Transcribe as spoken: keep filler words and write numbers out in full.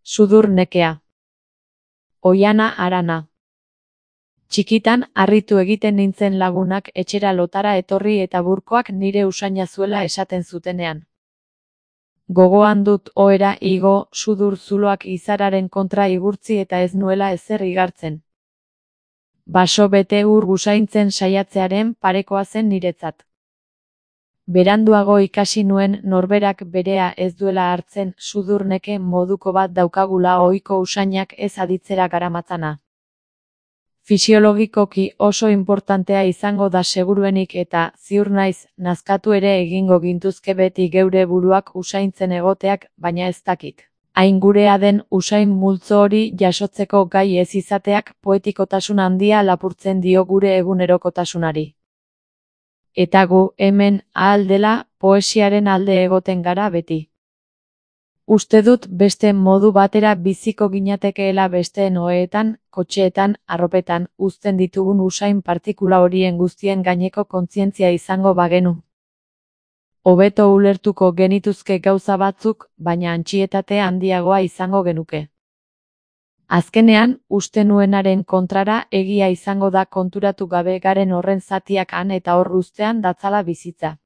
Sudur nekea. Oiana Arana. Txikitan, harritu egiten nintzen lagunak etxera lotara etorri eta burkoak nire usaina zuela esaten zutenean. Gogoan dut ohera igo, sudur zuloak izararen kontra igurtzi eta ez nuela ezer igartzen. Baso bete ur gusaintzen saiatzearen parekoa zen niretzat. Beranduago ikasi nuen norberak berea ez duela hartzen sudur neke moduko bat daukagula ohiko usainak ez aditzera garamatzana. Fisiologikoki oso inportantea izango da seguruenik eta, ziur naiz, nazkatu ere egingo gintuzke beti geure buruak usaintzen egoteak, baina ez dakit. Hain gurea den usain multzo hori jasotzeko gai ez izateak poetikotasun handia lapurtzen dio gure egunerokotasunari. Eta gu, hemen, ahal dela, poesiaren alde egoten gara beti. Uste dut beste modu batera biziko ginatekeela besteen oheetan, kotxeetan, arropetan, uzten ditugun usain partikula horien guztien gaineko kontzientzia izango bagenu. Hobeto ulertuko genituzke gauza batzuk, baina antsietate handiagoa izango genuke. Azkenean, uste nuenaren kontrara egia izango da konturatu gabe garen horren zatiak han eta hor uztean datzala bizitza.